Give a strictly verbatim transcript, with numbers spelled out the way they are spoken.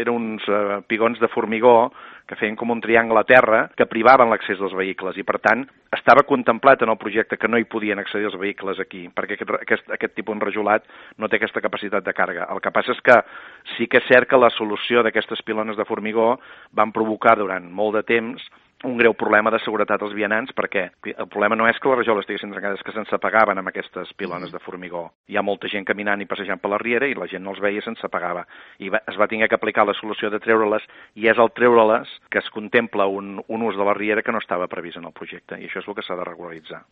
eren uns eh, pigons de formigó que feien com un triangle a terra que privaven l'accés dels vehicles i, per tant, estava contemplat en el projecte que no hi podien accedir els vehicles aquí, perquè aquest, aquest, aquest tipus enrajolat no té aquesta capacitat de càrrega. El que passa és que sí que és cert que la solució d'aquestes pilones de formigó van provocar durant molt de temps un greu problema de seguretat als vianants, perquè el problema no és que les rajoles estiguessin trencades, és que se'ns apagaven amb aquestes pilones de formigó. Hi ha molta gent caminant i passejant per la riera i la gent no els veia i se'ns apagava. I va, es va haver que aplicar la solució de treure-les, i és al treure-les que es contempla un, un ús de la riera que no estava previst en el projecte, i això és el que s'ha de regularitzar.